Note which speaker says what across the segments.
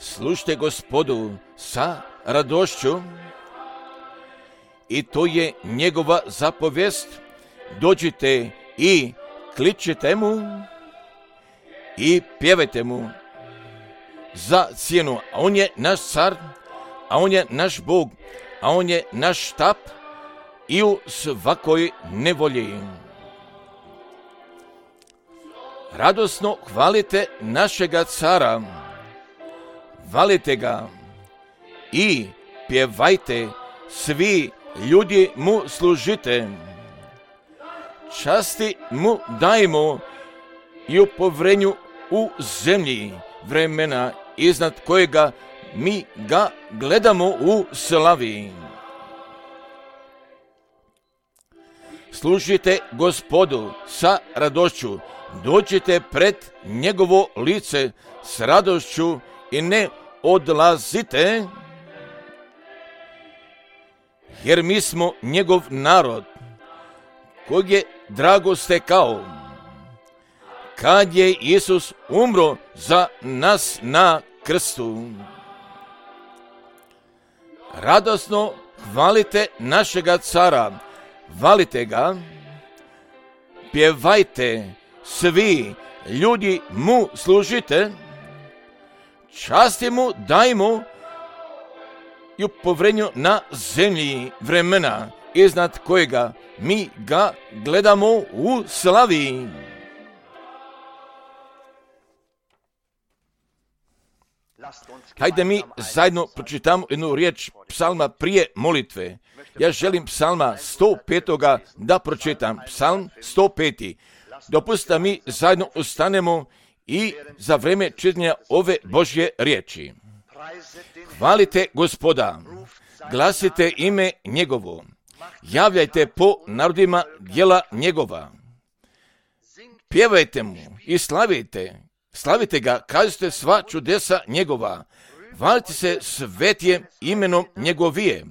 Speaker 1: slušajte Gospodu sa radošću, i to je njegova zapovijest. Dođite i kličite mu i pjevajte mu za cijenu. A on je naš car, a on je naš Bog, a on je naš štap i u svakoj nevolji. Radosno hvalite našega cara, hvalite ga i pjevajte, svi ljudi mu služite. Časti mu dajmo i u povrenju u zemlji vremena, iznad kojega mi ga gledamo u slavi. Služite Gospodu sa radošću, dođite pred njegovo lice s radošću i ne odlazite, jer mi smo njegov narod, kojeg je drago stekao, kad je Isus umro za nas na krstu. Radosno hvalite našega cara, hvalite ga, pjevajte, svi ljudi mu služite, časti mu dajmo i u povrenju na zemlji vremena, iznad kojega mi ga gledamo u slavi. Hajde mi zajedno pročitamo jednu riječ psalma prije molitve. Ja želim psalma 105. da pročitam. Psalm 105. Dopustite mi zajedno ustanemo i za vrijeme čitanja ove Božje riječi. Hvalite Gospoda, glasite ime njegovo, javljajte po narodima djela njegova. Pjevajte mu i slavite ga, kažite sva čudesa njegova. Hvalite se svetije imenom njegovije.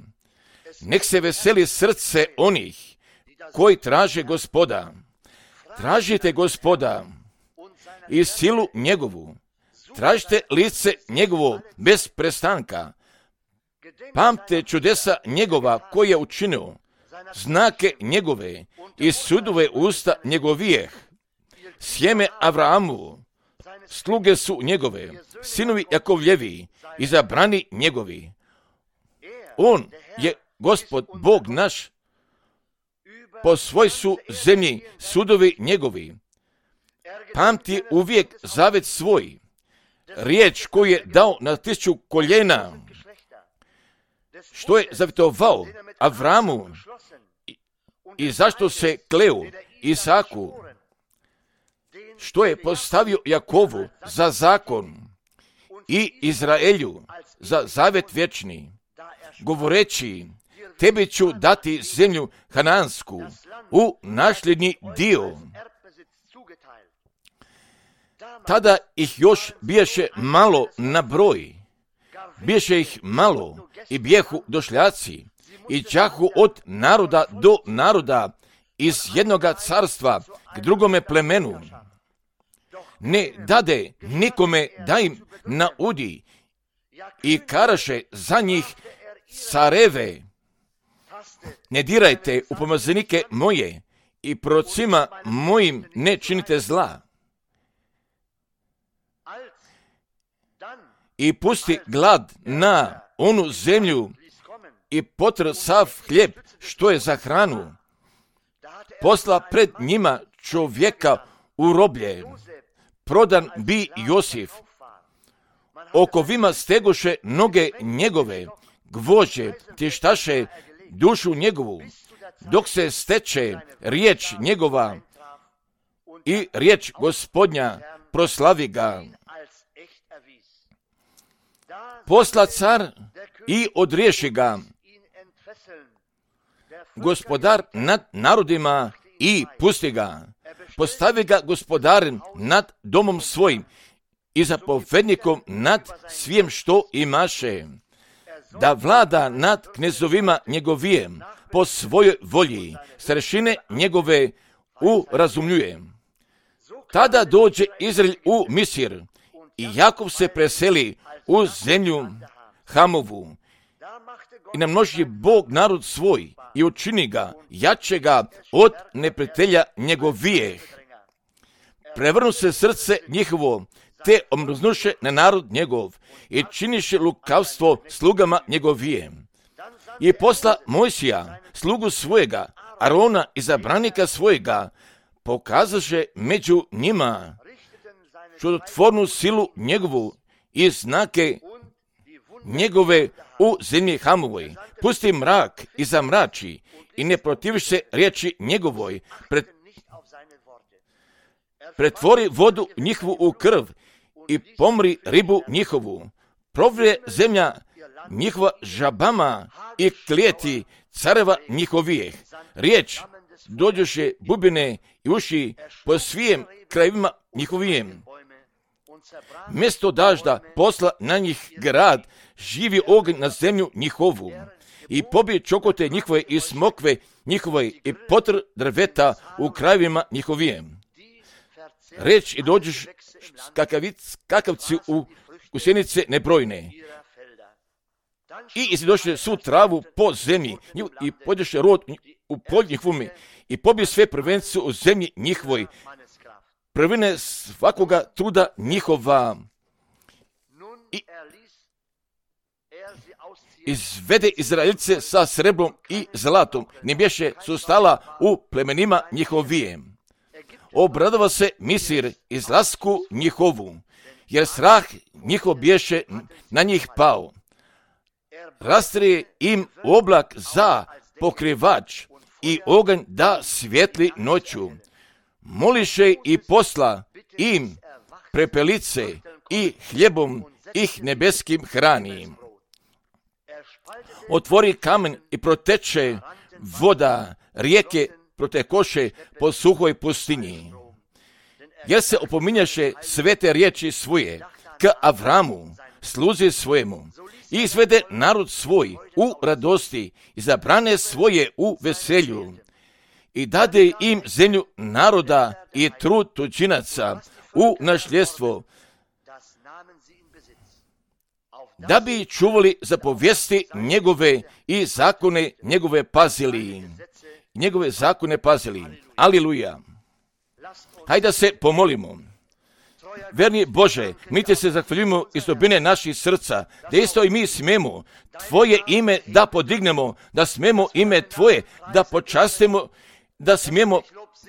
Speaker 1: Nek se veseli srce onih koji traže Gospoda. Tražite Gospoda i silu njegovu. Tražite lice njegovo bez prestanka. Pamte čudesa njegova koje je učinio, znake njegove i sudove usta njegovijeh. Sjeme Avrahamu, sluge su njegove, sinovi Jakovljevi, izabrani njegovi. On je Gospod, Bog naš, po svoj su zemlji sudovi njegovi. Pamti uvijek zavet svoj, riječ koju je dao na 1000 koljena, što je zavjetovao Avramu i zašto se kleo Isaku, što je postavio Jakovu za zakon i Izraelju za zavet vječni, govoreći, tebi ću dati zemlju Hanansku u nasljednji dio. Tada ih još biješe malo na broj, biješe ih malo i bijehu došljaci i čahu od naroda do naroda, iz jednoga carstva k drugome plemenu. Ne dade nikome da im naudi i karaše za njih careve. Ne dirajte u pomazanike moje i prorocima mojim ne činite zla. I pusti glad na onu zemlju i potr sav hljeb što je za hranu. Posla pred njima čovjeka u roblje. Prodan bi Josif. Okovima stegoše noge njegove, gvožđe tještaše dušu njegovu, dok se steče riječ njegova i riječ Gospodnja proslavi ga. Posla car i odriješi ga, gospodar nad narodima i pusti ga. Postavi ga gospodarem nad domom svojim i zapovjednikom nad svijem što imaše, da vlada nad knezovima njegovijem po svojoj volji, starešine njegove urazumljuje. Tada dođe Izrael u Misir I Jakov se preseli u zemlju Hamovu i namnoži Bog narod svoj i učini ga jačega od neprijatelja njegovijeh. Prevrnu se srce njihovo, te omrznuše na narod njegov i činiše lukavstvo slugama njegovije. I posla Mojsija, slugu svojega, Arona, izabranika svojega, pokazaše među njima čudotvornu silu njegovu i znake njegove u zemlji Hamovoj. Pusti mrak i zamrači i ne protiviš se riječi njegovoj. Pretvori vodu njihovu u krv i pomri ribu njihovu. Provrije zemlja njihova žabama i klijeti careva njihovijeh. Riječ dođoše bubine i uši po svijem krajevima njihovijem. Mjesto dažda posla na njih grad, živi oganj na zemlju njihovu i pobije čokote njihove i smokve njihove i potr drveta u krajevima njihovijem. Reč i dođeš kakavci u sjenice nebrojne. I izdoše svu travu po zemlji i podješe rod u polj njihovome i pobije sve prvence u zemlji njihovoj. Prvine svakoga truda njihova. I izvede Izraelce sa sreblom i zlatom. Ne bješe su stala u plemenima njihovijem. Obradova se Misir izlasku njihovu, jer strah njihov bješe na njih pao. Rastrije im oblak za pokrivač i oganj da svijetli noću. Moliše i posla im prepelice i hljebom ih nebeskim hrani. Otvori kamen i proteče voda, rijeke protekoše po suhoj pustinji. Jer se opominjaše svete riječi svoje k Avramu, sluzi svojemu, i izvede narod svoj u radosti i zabrane svoje u veselju. I dade im zemlju naroda i trud tuđinaca u nasljedstvo, da bi čuvali zapovijesti njegove i zakone njegove pazili. Njegove zakone pazili. Aliluja. Hajde da se pomolimo. Verni Bože, mi te se zahvaljujemo iz dubine naših srca, da isto i mi smemo Tvoje ime da podignemo, da smemo ime Tvoje da počastimo, da smijemo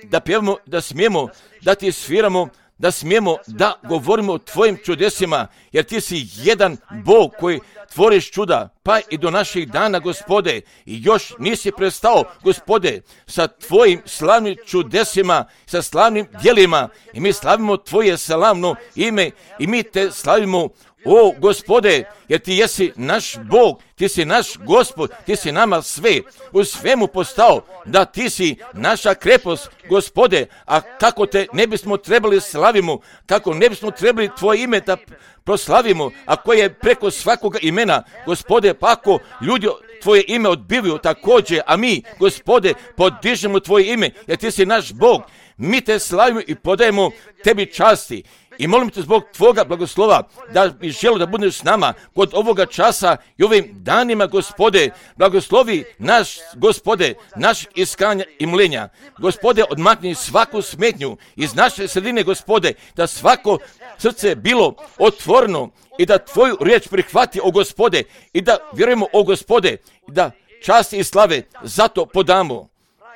Speaker 1: da pjevamo, da smijemo da ti sviramo, da smijemo da govorimo o Tvojim čudesima, jer Ti si jedan Bog koji tvoriš čuda, pa i do naših dana, Gospode, i još nisi prestao, Gospode, sa Tvojim slavnim čudesima, sa slavnim djelima, i mi slavimo Tvoje slavno ime i mi Te slavimo, o Gospode, jer Ti jesi naš Bog, Ti si naš Gospod, Ti si nama sve, u svemu postao, da Ti si naša krepost, Gospode, a kako Te ne bismo trebali slavimo, kako ne bismo trebali Tvoje ime da proslavimo, a koje je preko svakoga imena, Gospode, pa ako ljudi Tvoje ime odbivaju također, a mi, Gospode, podižemo Tvoje ime, jer Ti si naš Bog, mi Te slavimo i podajemo Tebi časti. I molim Te zbog Tvoga blagoslova da bi želio da budeš s nama kod ovoga časa i ovim danima, Gospode. Blagoslovi naš, Gospode, našeg iskanja i mlenja. Gospode, odmakni svaku smetnju iz naše sredine, Gospode, da svako srce bilo otvoreno i da Tvoju riječ prihvati, o Gospode, i da vjerujemo, o Gospode, i da časti i slave zato podamo.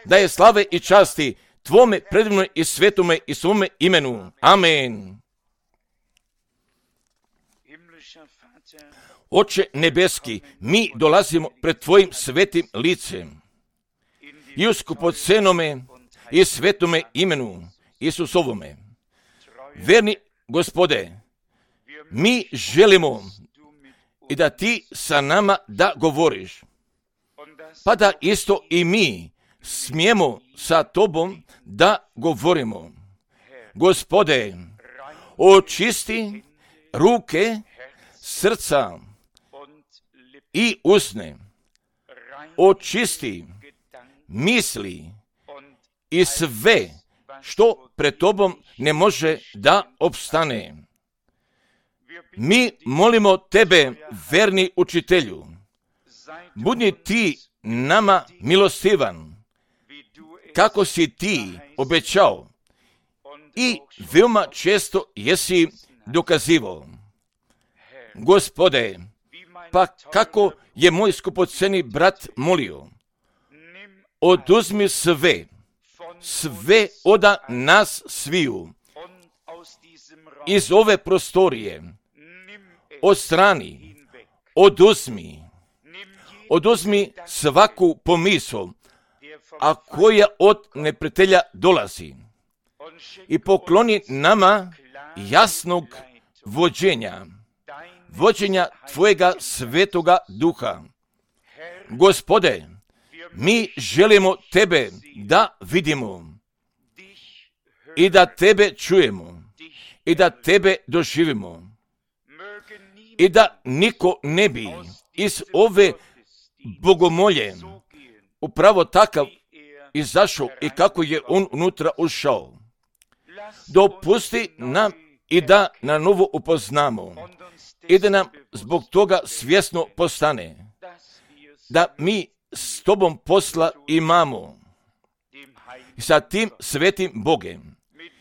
Speaker 1: Da je slave i časti Tvome predivnoj i svetome i svome imenu. Amen. Oče nebeski, mi dolazimo pred Tvojim svetim licem i u skupocenome i svetome imenu Isusovome. Verni Gospode, mi želimo i da Ti sa nama da govoriš, pa da isto i mi smijemo sa Tobom da govorimo. Gospode, očisti ruke, srca i usne, očisti misli i sve što pred Tobom ne može da opstane. Mi molimo tebe, verni učitelju, budi ti nama milostivan, kako si ti obećao i veoma često jesi dokazivao. Gospode, pa kako je moj skupoceni brat molio, oduzmi sve od nas sviju, iz ove prostorije, odstrani, oduzmi svaku pomisao, a koja od neprijatelja dolazi, i pokloni nama jasnog vođenja Tvojega svetoga duha. Gospode, mi želimo Tebe da vidimo i da Tebe čujemo i da Tebe doživimo i da niko ne bi iz ove bogomolje upravo takav izašao i kako je on unutra ušao. Dopusti nam i da na novo upoznamo i da nam zbog toga svjesno postane da mi s Tobom posla imamo i sa tim svetim Bogem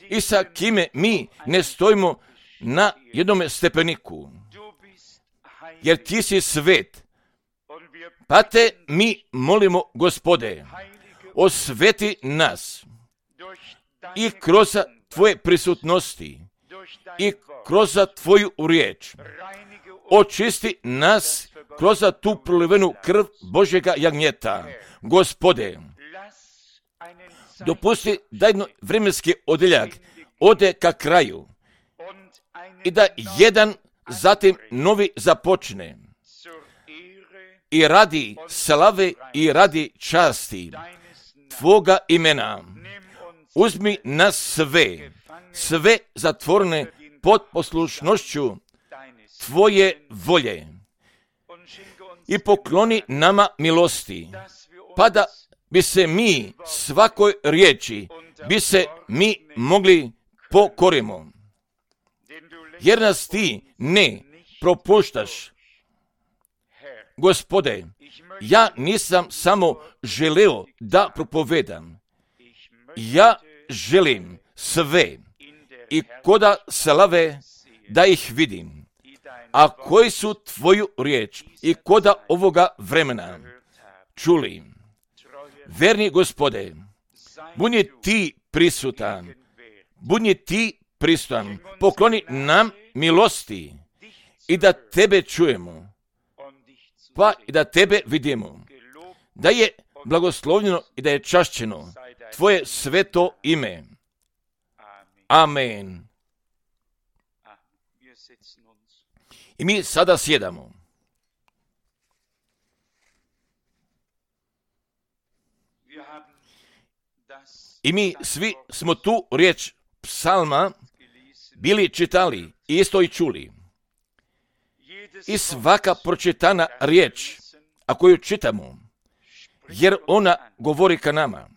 Speaker 1: i sa kime mi ne stojimo na jednome stepeniku, jer Ti si svet. Pa Te mi molimo, Gospode, osveti nas i kroz Tvoje prisutnosti i kroz Tvoju riječ. Očisti nas kroz tu prolivenu krv Božjega jagnjeta. Gospode, dopusti da jedno vremenski odeljak ode ka kraju i da jedan zatim novi započne i radi slave i radi časti Tvoga imena. Uzmi nas sve zatvorene pod poslušnošću Tvoje volje i pokloni nama milosti, pa da bi se mi svakoj riječi mogli pokorimo. Jer nas Ti ne propuštaš. Gospode, ja nisam samo želeo da propovedam. Ja želim sve i koda slave da ih vidim. A koji su Tvoju riječ i koda ovoga vremena čuli. Verni Gospode, budi Ti prisutan, pokloni nam milosti i da Tebe čujemo, pa i da Tebe vidimo, da je blagoslovljeno i da je čašćeno Tvoje sveto ime. Amen. I mi sada sjedamo. I mi svi smo tu riječ psalma bili čitali i isto i čuli. I svaka pročitana riječ, a koju čitamo, jer ona govori ka nama.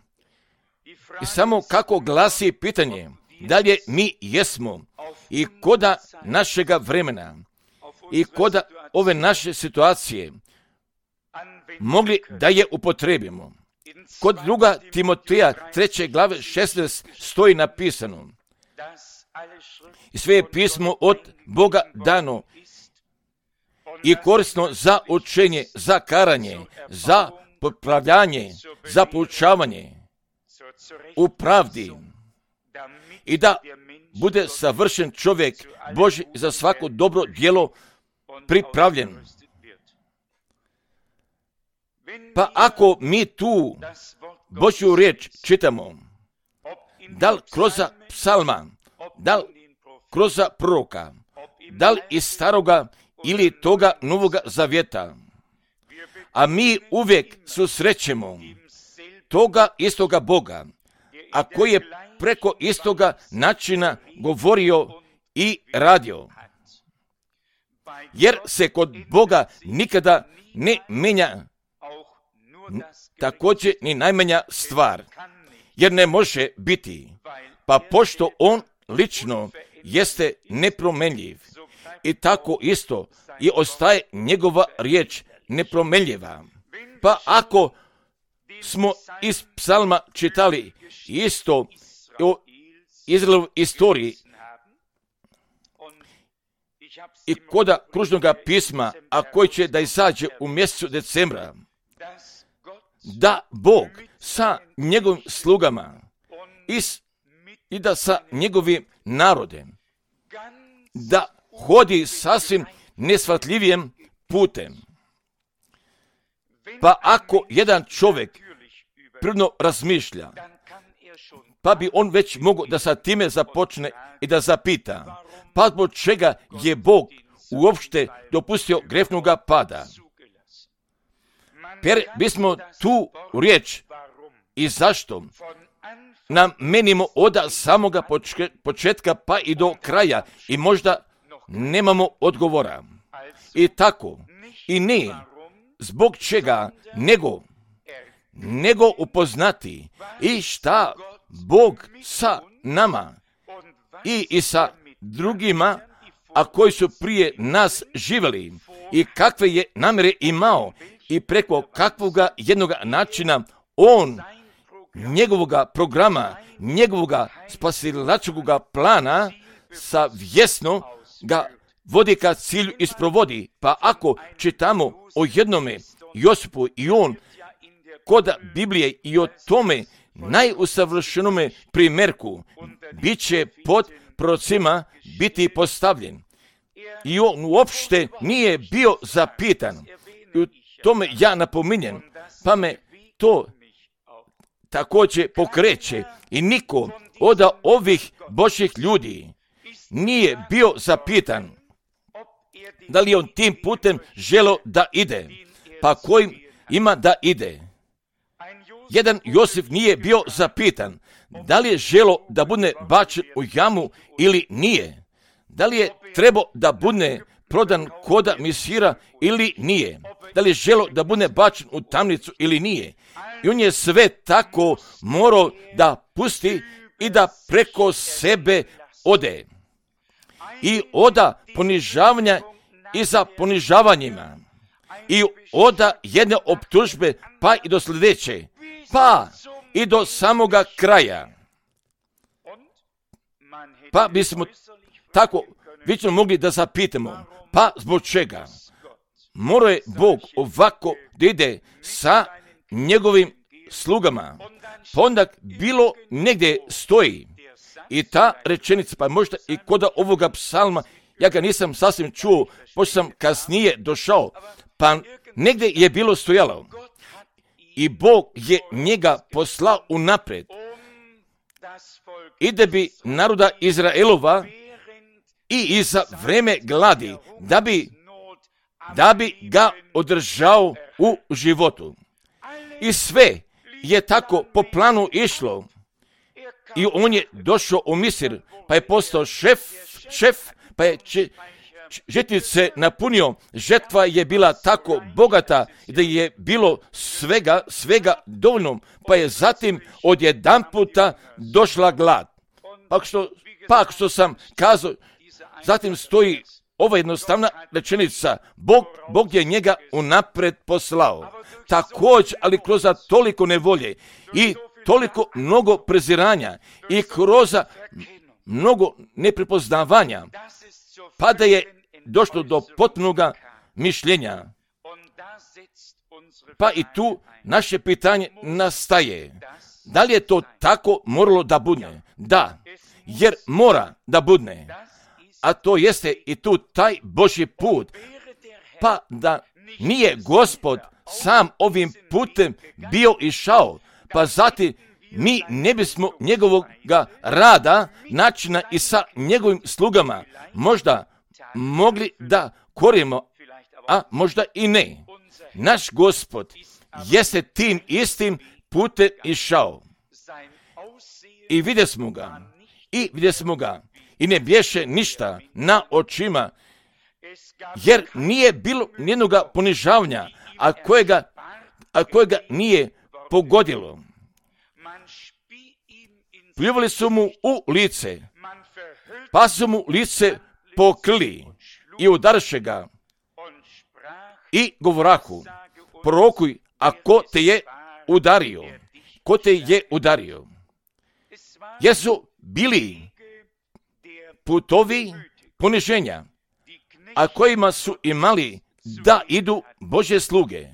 Speaker 1: I samo kako glasi pitanje, dalje mi jesmo i koda našega vremena i koda ove naše situacije mogli da je upotrebimo. Kod 2. Timoteja 3. glave 16 stoji napisano: i sve je pismo od Boga dano i korisno za učenje, za karanje, za popravljanje, za poučavanje u pravdi, i da bude savršen čovjek Božji za svako dobro djelo pripravljen. Pa ako mi tu Božju riječ čitamo, da li kroz psalma, da li kroz proroka, da li iz staroga ili toga Novoga Zavjeta, a mi uvijek susrećemo toga istoga Boga, a koji je preko istoga načina govorio i radio. Jer se kod Boga nikada ne menja također ni najmanja stvar, jer ne može biti. Pa pošto on lično jeste nepromenljiv, i tako isto i ostaje njegova riječ nepromenljiva. Pa ako smo iz psalma čitali isto o Izraelovoj istoriji i koda kružnoga pisma, a koji će da izađe u mjesecu decembra, da Bog sa njegovim slugama i da sa njegovim narodem da hodi sasvim nesvatljivijim putem. Pa ako jedan čovjek prirodno razmišlja, pa bi on već mogao da sa time započne i da zapita, pa zbog čega je Bog uopšte dopustio grešnoga pada. Per bismo tu riječ i zašto namenimo od samoga početka pa i do kraja i možda nemamo odgovora. I tako, i ne zbog čega, nego upoznati i šta Bog sa nama i sa drugima, a koji su prije nas živjeli i kakve je namjere imao i preko kakvoga jednoga načina on njegovoga programa, njegovoga spasilačkoga plana savjesno ga vodi ka cilju i sprovodi. Pa ako čitamo o jednome Josipu i on kod Biblije i o tome najusavršenome primjerku bit će pod prorocima biti postavljen. I on uopšte nije bio zapitan. I u tome ja napominjem, pa me to također pokreće i niko od ovih Božjih ljudi nije bio zapitan da li on tim putem želio da ide, pa kojim ima da ide. Jedan Josif nije bio zapitan da li je želio da bude bačen u jamu ili nije, da li je trebao da bude prodan koda misira ili nije, da li je želio da bude bačen u tamnicu ili nije. I on je sve tako morao da pusti i da preko sebe ode. I oda ponižavanja i za ponižavanjima. I oda jedne optužbe pa i do sljedeće. Pa i do samoga kraja. Pa bismo tako vično mogli da zapitamo. Pa zbog čega? Morao je Bog ovako da ide sa njegovim slugama. Pa onda bilo negdje stoji. I ta rečenica, pa možda i kod ovoga psalma, ja ga nisam sasvim čuo, pošto sam kasnije došao, pa negdje je bilo stojalo. I Bog je njega poslao unaprijed. I da bi naroda Izraelova i iza vreme gladi, da bi ga održao u životu. I sve je tako po planu išlo. I on je došao u Misir, pa je postao šef, pa je žetnice napunio. Žetva je bila tako bogata da je bilo svega dovoljno, pa je zatim odjedanputa došla glad. Pa što sam kazao, zatim stoji ova jednostavna rečenica, Bog je njega unapred poslao. Također, ali kroz toliko nevolje i toliko mnogo preziranja i kroz mnogo neprepoznavanja, pa da je došlo do potpunoga mišljenja. Pa i tu naše pitanje nastaje. Da li je to tako moralo da bude? Da, jer mora da bude. A to jeste i tu taj Božji put. Pa da nije Gospod sam ovim putem bio išao, pa zatim mi ne bismo njegovog rada, načina i sa njegovim slugama možda mogli da korimo, a možda i ne. Naš Gospod jeste tim istim putem išao. I vidjeli smo ga. I ne bješe ništa na očima, jer nije bilo nijednoga ponižavanja, a kojega nije pogodilo. Pljuvali su mu u lice, pa su mu lice pokrili i udarše ga i govorahu, prorokuj, a ko te je udario? Ko te je udario? Jesu bili putovi poniženja, a kojima su imali da idu Božje sluge,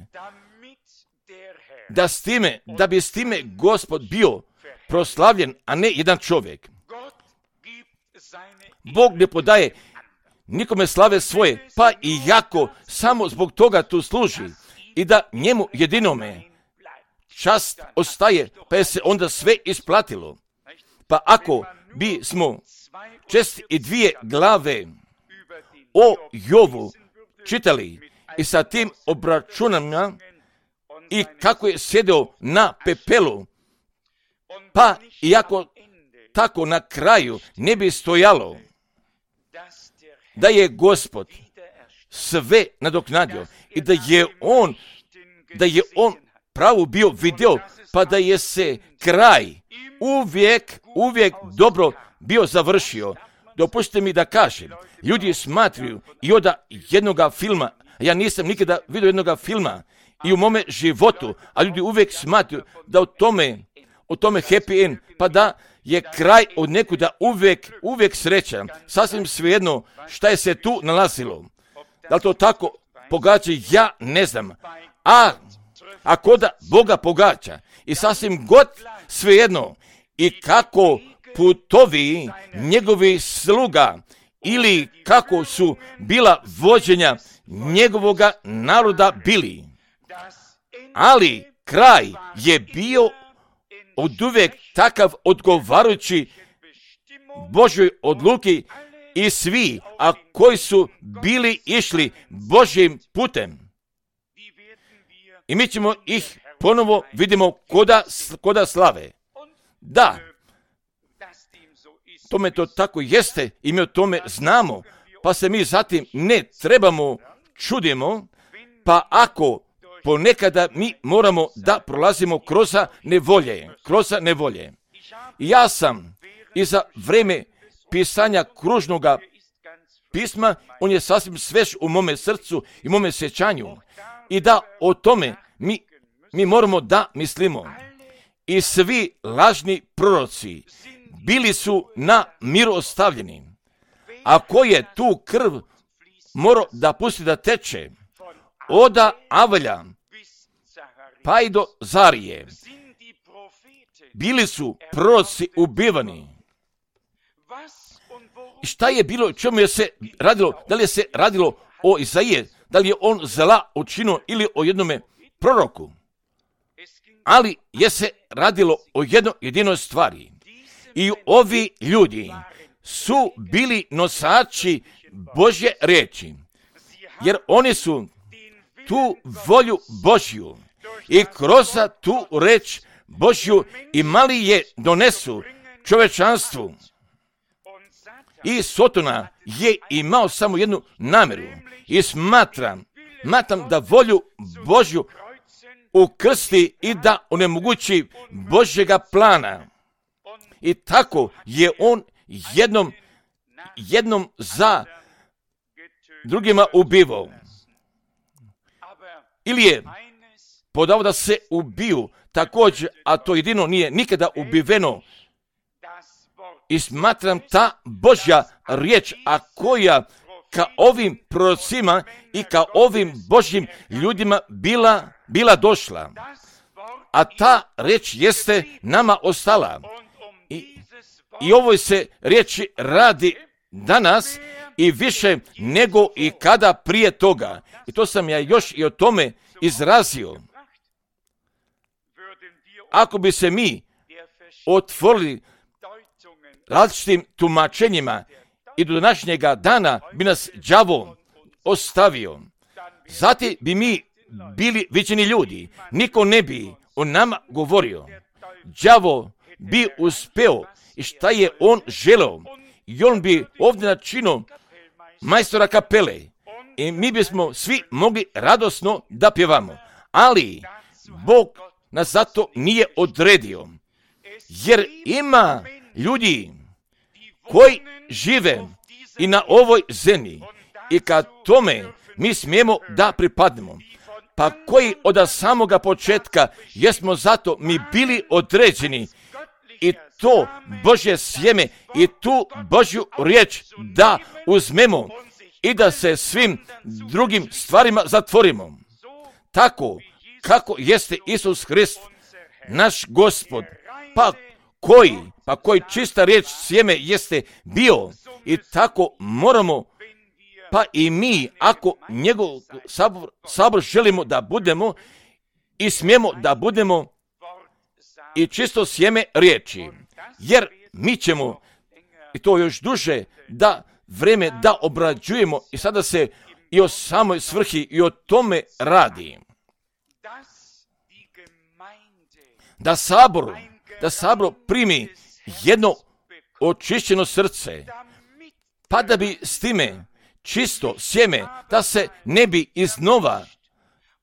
Speaker 1: da bi s time Gospod bio proslavljen, a ne jedan čovjek. Bog ne podaje nikome slave svoje, pa i jako samo zbog toga tu služi i da njemu jedinome čast ostaje, pa je se onda sve isplatilo. Pa ako bi smo 62 glave o Jovu čitali i sa tim obračunama i kako je sjedeo na pepelu, pa iako tako na kraju ne bi stojalo da je Gospod sve nadoknadio i da je on pravu bio video, pa da je se kraj uvijek dobro bio završio. Dopustite mi da kažem, ljudi smatraju i od jednoga filma, ja nisam nikada vidio jednoga filma i u mome životu, a ljudi uvijek smatraju da o tome happy end, pa da je kraj od nekuda uvijek sreća. Sasvim svejedno šta je se tu nalazilo. Da li to tako pogađa, ja ne znam. Ako da Boga pogađa i sasvim god svejedno i kako putovi njegovi sluga ili kako su bila vođenja njegovoga naroda bili. Ali kraj je bio oduvijek takav odgovarajući Božjoj odluki i svi, a koji su bili išli Božjim putem. I mi ćemo ih ponovo vidimo koda slave. Da, tome to tako jeste i mi o tome znamo, pa se mi zatim ne trebamo čudimo, pa ako ponekada mi moramo da prolazimo kroz nevolje. Ja sam i za vrijeme pisanja kružnoga pisma, on je sasvim svež u mome srcu i mome sjećanju. I da o tome mi moramo da mislimo. I svi lažni proroci bili su na miru ostavljeni. A ko je tu krv morao da pusti da teče od Avelja pa i do Zarije, bili su proroci ubivani. I šta je bilo, čemu je se radilo? Da li je se radilo o Izaije, da li je on zla učinio ili o jednome proroku? Ali je se radilo o jedinoj stvari. I ovi ljudi su bili nosači Božje riječi, jer oni su tu volju Božju i kroz tu reč Božju imali je donesu čovečanstvu. I Sotona je imao samo jednu namjeru i smatram da volju Božju ukrsti i da onemogući Božjega plana. I tako je on jednom za drugima ubivao. Ili je podao da se ubiju također, a to jedino nije nikada ubiveno. I smatram ta Božja riječ, a koja ka ovim prorocima i ka ovim Božjim ljudima bila došla. A ta riječ jeste nama ostala. I ovoj se riječi radi danas i više nego i kada prije toga. I to sam ja još i o tome izrazio. Ako bi se mi otvorili različitim tumačenjima i do današnjega dana bi nas đavo ostavio. Zatim bi mi bili viđeni ljudi. Niko ne bi o nama govorio. Đavo bi uspeo i šta je on želeo. I on bi ovdje načinio majstora kapele. I mi bismo svi mogli radosno da pjevamo. Ali Bog nas zato nije odredio. Jer ima ljudi koji žive i na ovoj zemlji i ka tome mi smijemo da pripadnemo. Pa koji od samoga početka jesmo zato mi bili određeni i to Božje sjeme i tu Božju riječ da uzmemo i da se svim drugim stvarima zatvorimo. Tako kako jeste Isus Hrist, naš Gospod, pa koji čista riječ sjeme jeste bio i tako moramo, pa i mi, ako njegov sabor želimo da budemo i smijemo da budemo i čisto sjeme riječi, jer mi ćemo, i to još duže, da vreme da obrađujemo i sada se i o samoj svrhi i o tome radi. Da sabor primi jedno očišćeno srce, pa da bi s time čisto sjeme, da se ne bi iznova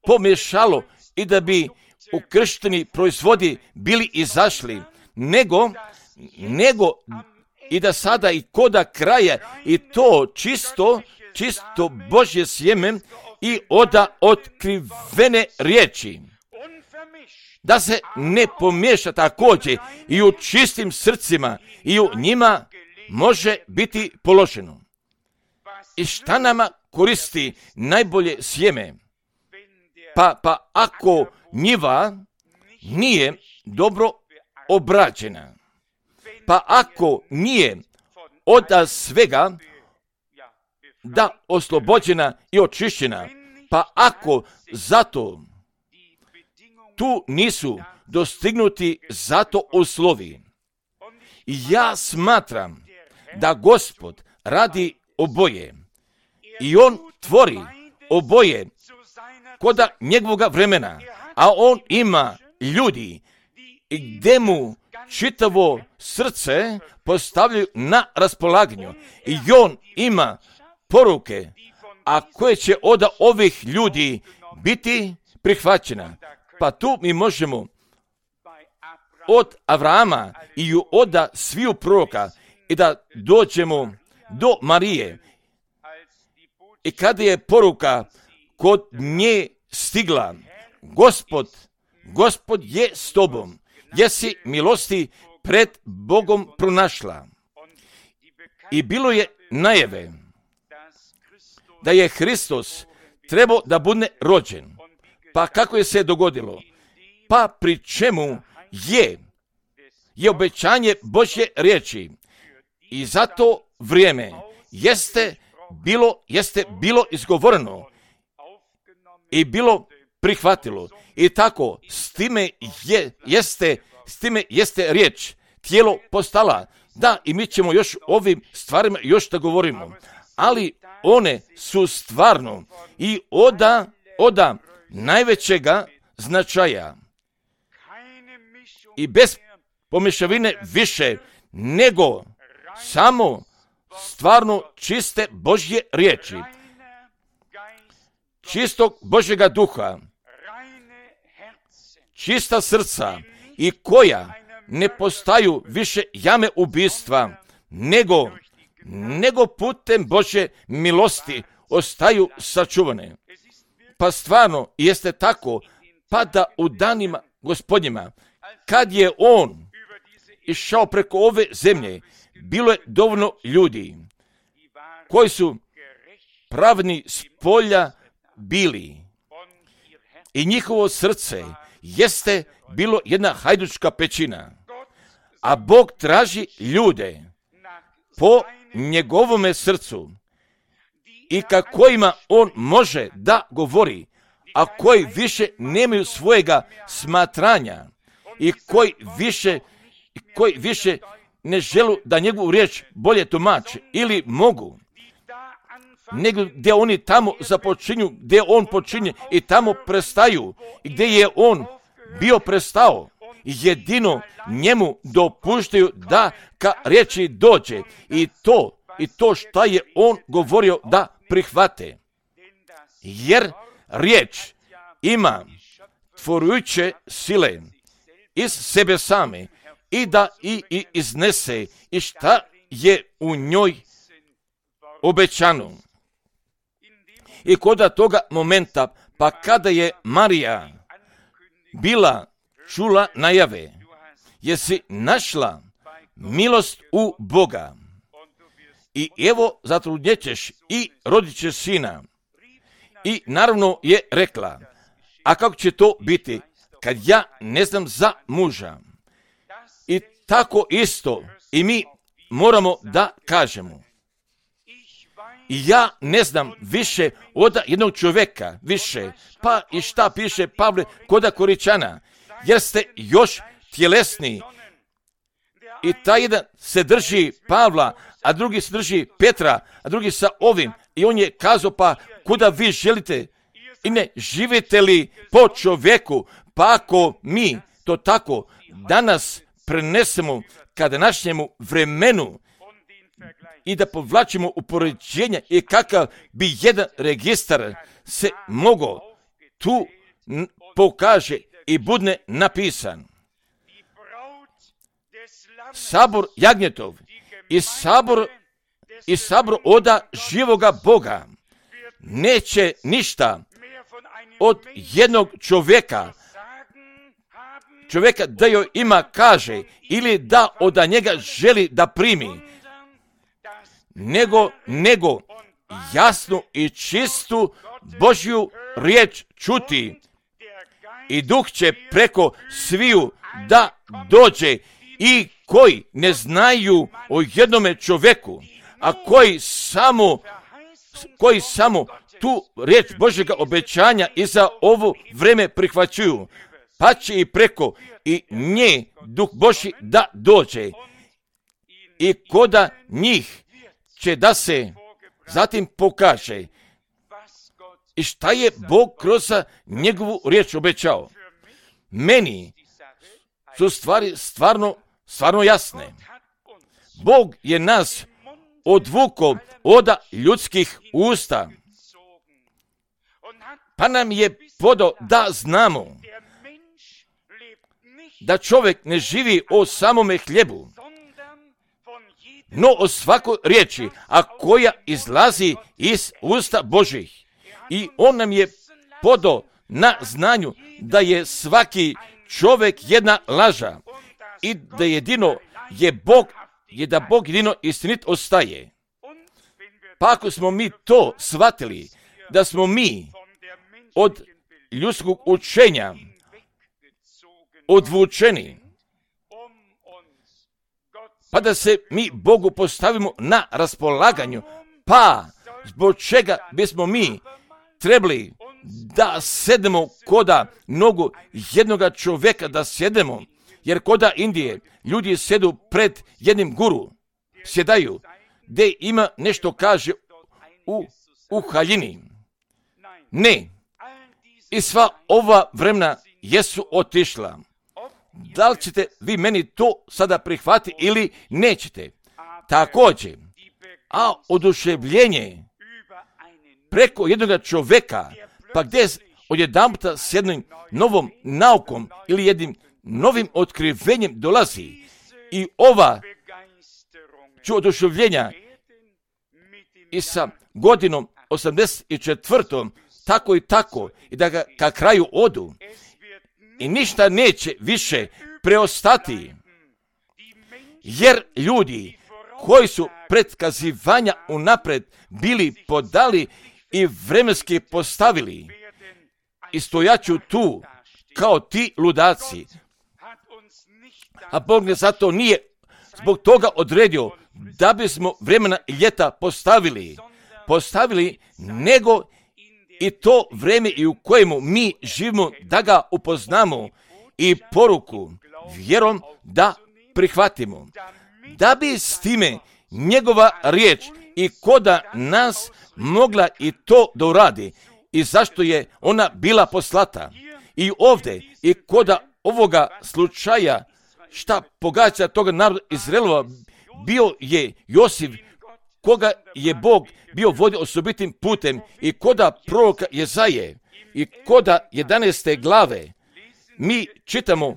Speaker 1: pomiješalo i da bi ukršteni proizvodi bili izašli, nego i da sada i koda kraja i to čisto Božje sjeme i oda otkrivene riječi, da se ne pomiješa također i u čistim srcima i u njima može biti položeno. I šta nama koristi najbolje sjeme? Pa ako njiva nije dobro obrađena, pa ako nije od svega da oslobođena i očišćena, pa ako zato tu nisu dostignuti zato uslovi. I ja smatram da Gospod radi oboje i on tvori oboje koda njegovoga vremena, a on ima ljudi i gdje mu čitavo srce postavljaju na raspolaganju i on ima poruke, a koje će od ovih ljudi biti prihvaćena. Pa tu mi možemo od Avrama i od sviju proroka i da dođemo do Marije. I kada je poruka kod nje stigla, Gospod je s tobom, jesi milosti pred Bogom pronašla. I bilo je najave da je Hristos trebao da bude rođen. Pa kako je se dogodilo? Pa pri čemu je obećanje Božje riječi. I zato vrijeme jeste bilo izgovoreno i bilo prihvatilo. I tako s time jeste riječ tijelo postala. Da, i mi ćemo još ovim stvarima još da govorimo. Ali one su stvarno i oda najvećega značaja i bez pomješavine više nego samo stvarno čiste Božje riječi, čistog Božjega duha, čista srca i koja ne postaju više jame ubistva, nego putem Božje milosti ostaju sačuvane. Pa stvarno jeste tako, pa da u danima Gospodnjima, kad je on išao preko ove zemlje, bilo je dovoljno ljudi koji su pravni s polja bili i njihovo srce jeste bilo jedna hajdučka pećina, a Bog traži ljude po njegovome srcu i kojima on može da govori, a koji više nemaju svojega smatranja i koji više ne žele da njegovu riječ bolje tumače ili mogu, nego gdje oni tamo započinju, gdje on počinje i tamo prestaju i gdje je on bio prestao. Jedino njemu dopuštaju da ka riječi dođe i to šta je on govorio da prihvate. Jer riječ ima tvorujuće sile iz sebe same i da i iznese i šta je u njoj obećano. I kod toga momenta, pa kada je Marija bila čula najave, jesi našla milost u Boga. I evo zatrudnjećeš i rodit ćeš sina. I naravno je rekla, a kako će to biti kad ja ne znam za muža? I tako isto i mi moramo da kažemo. Ja ne znam više od jednog čovjeka, više, pa i šta piše Pavle kod Koričana, jer ste još tjelesni. I taj jedan se drži Pavla, a drugi se drži Petra, a drugi sa ovim. I on je kazao, pa kuda vi želite? I ne živite li po čovjeku? Pa ako mi to tako danas prenesemo ka današnjemu vremenu i da povlačimo upoređenja i kakav bi jedan registar se mogao tu pokaže i budne napisan. Sabor jagnjetov i sabor oda živoga Boga neće ništa od jednog čovjeka da joj ima kaže ili da od njega želi da primi, nego jasnu i čistu Božju riječ čuti i Duh će preko sviju da dođe i koji ne znaju o jednome čovjeku, a koji samo tu riječ Božjega obećanja i za ovo vreme prihvaćuju, pa će i preko i nje Duh Božji da dođe i koda njih će da se zatim pokaže i šta je Bog kroz njegovu riječ obećao. Meni su stvari stvarno jasne. Bog je nas odvukao od ljudskih usta, pa nam je podao da znamo da čovjek ne živi o samome hljebu, no o svakoj riječi, a koja izlazi iz usta Božih. I on nam je podao na znanju da je svaki čovjek jedna laža i da jedino je Bog, da Bog jedino istinit ostaje. Pa ako smo mi to shvatili, da smo mi od ljudskog učenja odvučeni, pa da se mi Bogu postavimo na raspolaganju, pa zbog čega bismo mi trebali da sedemo koda nogu jednoga čovjeka da sjedemo, jer koda Indije ljudi sjedu pred jednim guru, sjedaju, gdje ima nešto kaže u haljini. Ne, i sva ova vremena jesu otišla. Da li ćete vi meni to sada prihvatiti ili nećete? Također, a oduševljenje preko jednoga čovjeka, pa gdje odjedanputa s jednom novom naukom ili jednim novim otkrivenjem dolazi i ova ću oduševljenja i sa godinom 84. tako i tako i da ga ka kraju odu i ništa neće više preostati, jer ljudi koji su predkazivanja unapred bili podali i vremenski postavili i stojaću tu kao ti ludaci, a Bog ne zato nije zbog toga odredio da bismo vremena i ljeta postavili, nego i to vreme i u kojemu mi živimo da ga upoznamo i poruku vjerom da prihvatimo, da bi s time njegova riječ i koda nas mogla i to da uradi i zašto je ona bila poslata. I ovdje i koda ovoga slučaja šta pogađa toga naroda Izraelova, bio je Josif koga je Bog bio vodio osobitim putem i koda proroka Jezaje i koda 11. glave mi čitamo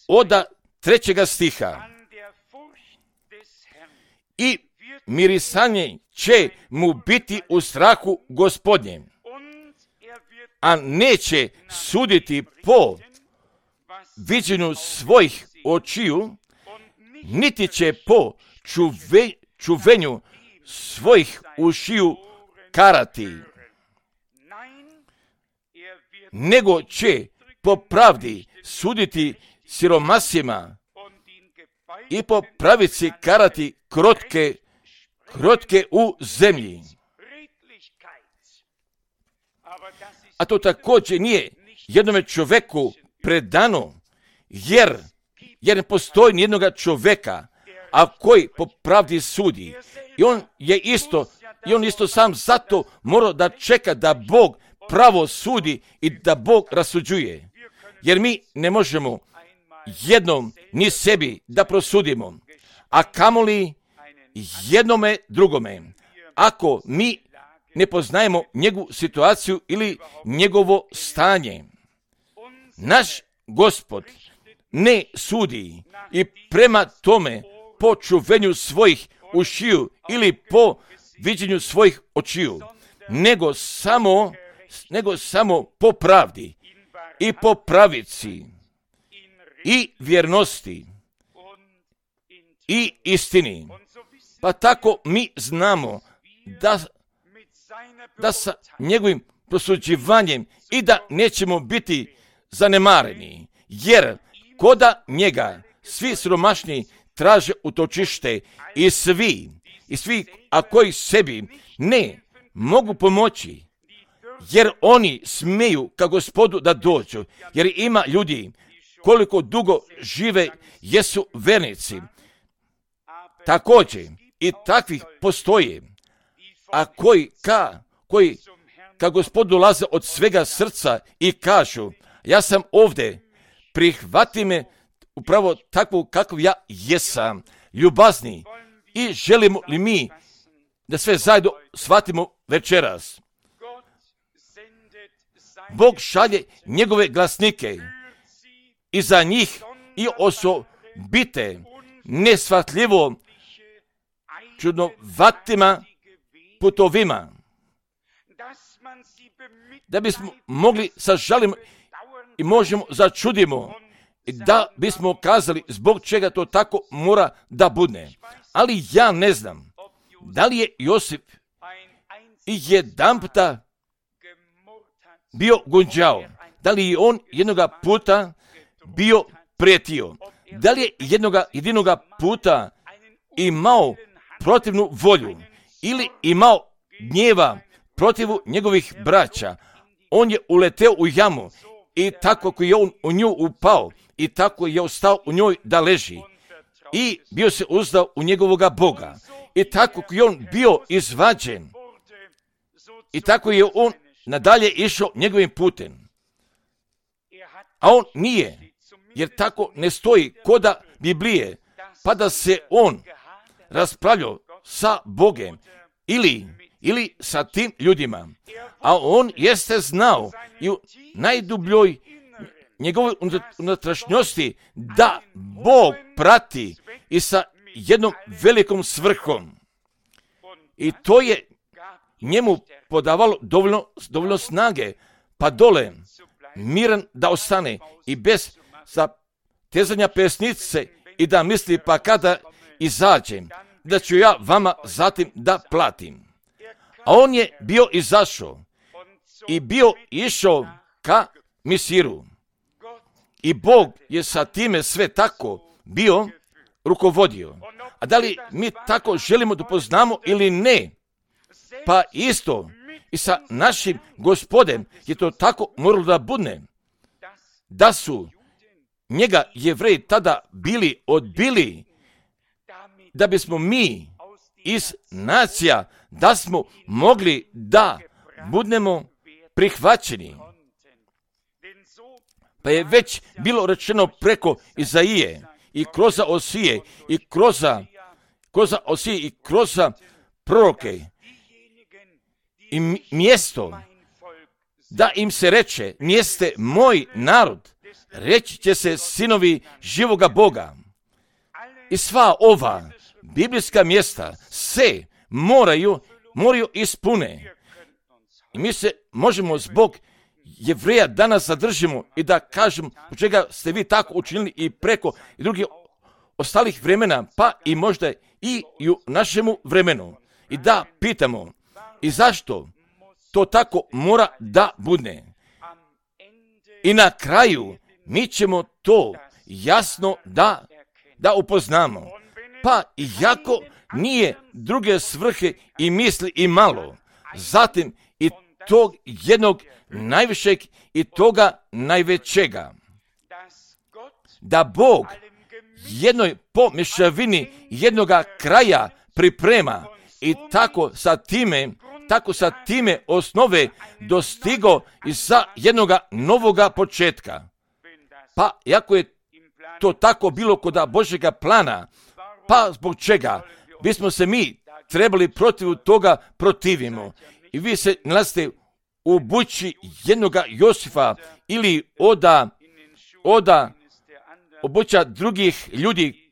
Speaker 1: od 3. stiha. I mirisanje će mu biti u strahu Gospodnjem a neće suditi po viđenju svojih očiju, niti će po čuvenju svojih ušiju karati, nego će po pravdi suditi siromasima i po pravici karati krotke u zemlji. A to također nije jednome čoveku predano, jer ne postoji nijednog čoveka, a koji po pravdi sudi. I on isto sam zato mora da čeka da Bog pravo sudi i da Bog rasuđuje. Jer mi ne možemo jednom ni sebi da prosudimo, a kamoli jednome drugome, ako mi ne poznajemo njegovu situaciju ili njegovo stanje. Naš Gospod ne sudi i prema tome po čuvenju svojih ušiju ili po viđenju svojih očiju, nego samo po pravdi i po pravici i vjernosti i istini. Pa tako mi znamo da sa njegovim prosuđivanjem i da nećemo biti zanemareni, jer koda njega svi siromašni traže utočište i svi, a koji sebi ne mogu pomoći, jer oni smeju ka Gospodu da dođu, jer ima ljudi koliko dugo žive jesu vernici. Također i takvih postoje, a koji ka Gospodu dolaze od svega srca i kažu: ja sam ovdje, prihvati me upravo takvu kakav ja jesam, ljubazni. I želimo li mi da sve zajedno shvatimo večeras? Bog šalje njegove glasnike i za njih i osobite neshvatljivo čudnovatima putovima, da bismo mogli sa žalim i možemo začudimo i da bismo kazali zbog čega to tako mora da bude. Ali ja ne znam da li je Josip i jedanputa bio gunđao, da li je on jednoga puta bio prijetio, da li je jedinoga puta imao protivnu volju ili imao gnjeva protiv njegovih braća. On je uleteo u jamu i tako koji je on u nju upao i tako je ostao u njoj da leži i bio se uzdao u njegovoga Boga i tako koji je on bio izvađen i tako je on nadalje išao njegovim putem. A on nije, jer tako ne stoji koda Biblije, pa da se on raspravljao sa Bogem ili sa tim ljudima. A on jeste znao i u najdubljoj njegovoj unutrašnjosti da Bog prati i sa jednom velikom svrhom. I to je njemu podavalo dovoljno snage, pa dole miran da ostane i bez zatezanja pesnice i da misli pa kada izađem, da ću ja vama zatim da platim. A on je bio izašao i bio išao ka Misiru. I Bog je sa time sve tako bio rukovodio. A da li mi tako želimo da poznamo ili ne? Pa isto i sa našim Gospodem je to tako moralo da bude. Da su njega Jevreji tada bili odbili, da bismo mi iz nacija, da smo mogli da budemo prihvaćeni. Pa je već bilo rečeno preko Izaije i kroz Osije i kroz proroke i mjesto da im se reče: nijeste moj narod, reći će se sinovi živoga Boga. I sva ova biblijska mjesta se moraju ispune. I mi se možemo zbog Jevreja danas zadržimo i da kažemo u čega ste vi tako učinili i preko i drugih ostalih vremena, pa i možda i u našemu vremenu. I da pitamo, i zašto to tako mora da bude? I na kraju mi ćemo to jasno da upoznamo. Pa iako nije druge svrhe i misli i malo, zatim i tog jednog najvišeg i toga najvećega, da Bog jednoj pomješavini jednoga kraja priprema i tako sa time osnove dostigo i sa jednoga novoga početka. Pa iako je to tako bilo kod Božjega plana, pa zbog čega bismo se mi trebali protiv toga protivimo? I vi se nalazite u bući jednoga Josifa ili oda obuća drugih ljudi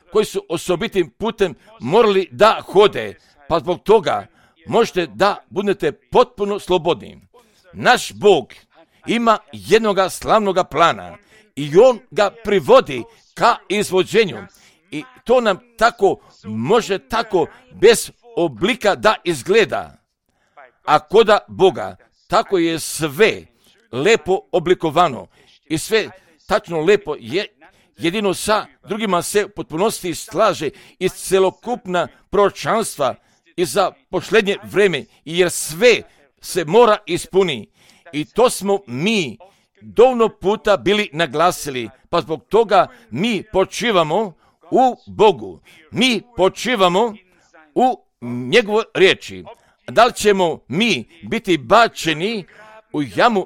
Speaker 1: koji su osobitim putem morali da hode, pa zbog toga možete da budete potpuno slobodni. Naš Bog ima jednoga slavnoga plana i On ga privodi ka izvođenju. I to nam tako može tako bez oblika da izgleda. A koda Boga tako je sve lepo oblikovano i sve tačno lepo je, jedino sa drugima se u potpunosti slaže iz celokupna proročanstva i za posljednje vreme, jer sve se mora ispuni. I to smo mi dovoljno puta bili naglasili, pa zbog toga mi počivamo u Bogu. Mi počivamo u njegovoj riječi. Da li ćemo mi biti bačeni u jamu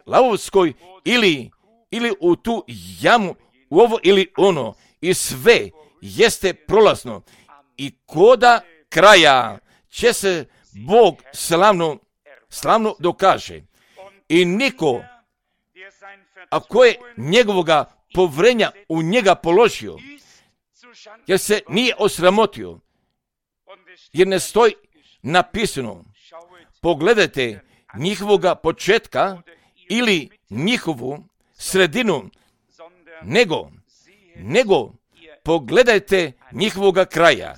Speaker 1: lavovskoj ili u tu jamu u ovo ili ono, i sve jeste prolazno. I koda kraja će se Bog slavno dokaže. I niko, ako je njegovoga povrenja u njega položio, jer se nije osramotio, jer ne stoji napisano, pogledajte njihovoga početka ili njihovu sredinu, nego pogledajte njihovoga kraja.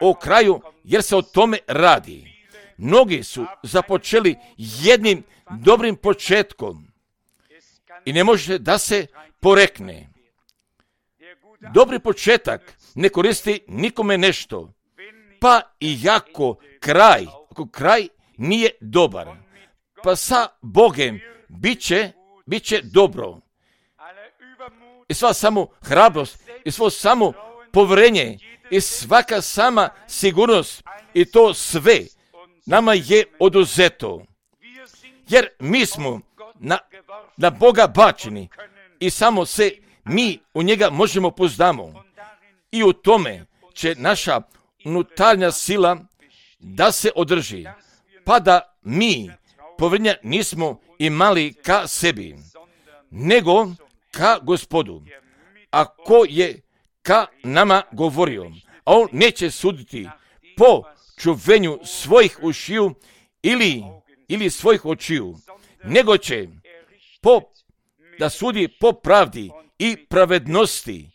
Speaker 1: O kraju, jer se o tome radi. Mnogi su započeli jednim dobrim početkom i ne može da se porekne. Dobri početak ne koristi nikome nešto, pa i ako kraj nije dobar, pa sa Bogem bit će dobro. I sva samo hrabrost, i svo samo povjerenje, i svaka sama sigurnost, i to sve nama je oduzeto. Jer mi smo na Boga bačeni i samo se mi u njega možemo pouzdamo. I u tome će naša unutarnja sila da se održi, pa da mi povjerenja nismo imali ka sebi, nego ka Gospodu. Ako je ka nama govorio, a on neće suditi po čuvenju svojih ušiju ili svojih očiju, nego će da sudi po pravdi i pravednosti,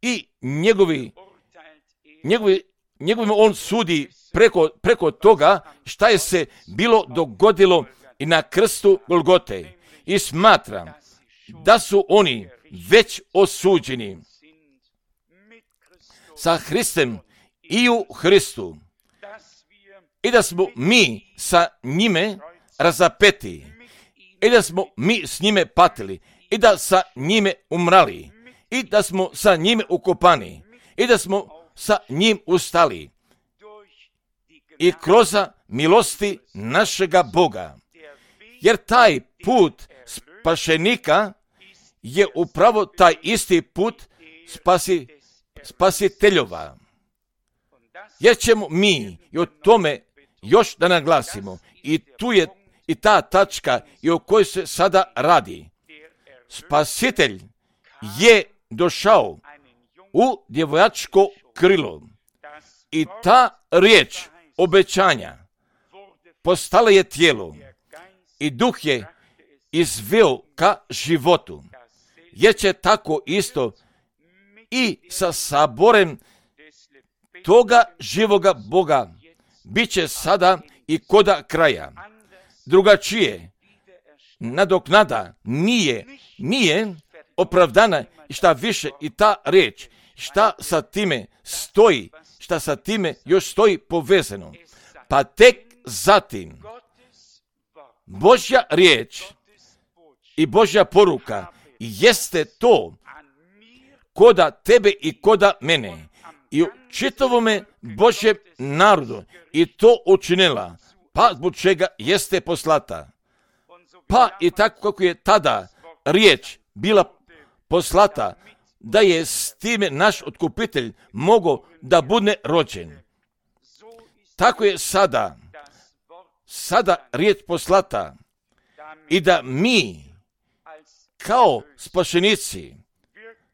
Speaker 1: i njegovim on sudi preko toga šta je se bilo dogodilo i na krstu Golgote. I smatram da su oni već osuđeni sa Hristem i u Hristu, i da smo mi sa njime razapeti, i da smo mi s njime patili, i da sa njime umrali, i da smo sa njime ukopani, i da smo sa njim ustali. I kroz milosti našega Boga. Jer taj put spašenika je upravo taj isti put spasiteljova. Jer ćemo mi i o tome još da naglasimo. I tu je i ta tačka i o kojoj se sada radi. Spasitelj je došao u djevojačko krilo. I ta riječ obećanja postala je tijelo i duh je izveo ka životu. Jer će tako isto i sa saborem toga živoga Boga bit će sada i koda kraja. Drugačije nadoknada nije opravdana i šta više i ta riječ, šta sa time stoji, šta sa time još stoji povezano. Pa tek zatim Božja riječ i Božja poruka jeste to koda tebe i koda mene i u čitavome Božjem narodu i to učinila, pa zbog čega jeste poslata. Pa i tako kako je tada riječ bila poslata, da je s time naš otkupitelj mogao da bude rođen. Tako je sada riječ poslata i da mi kao spašenici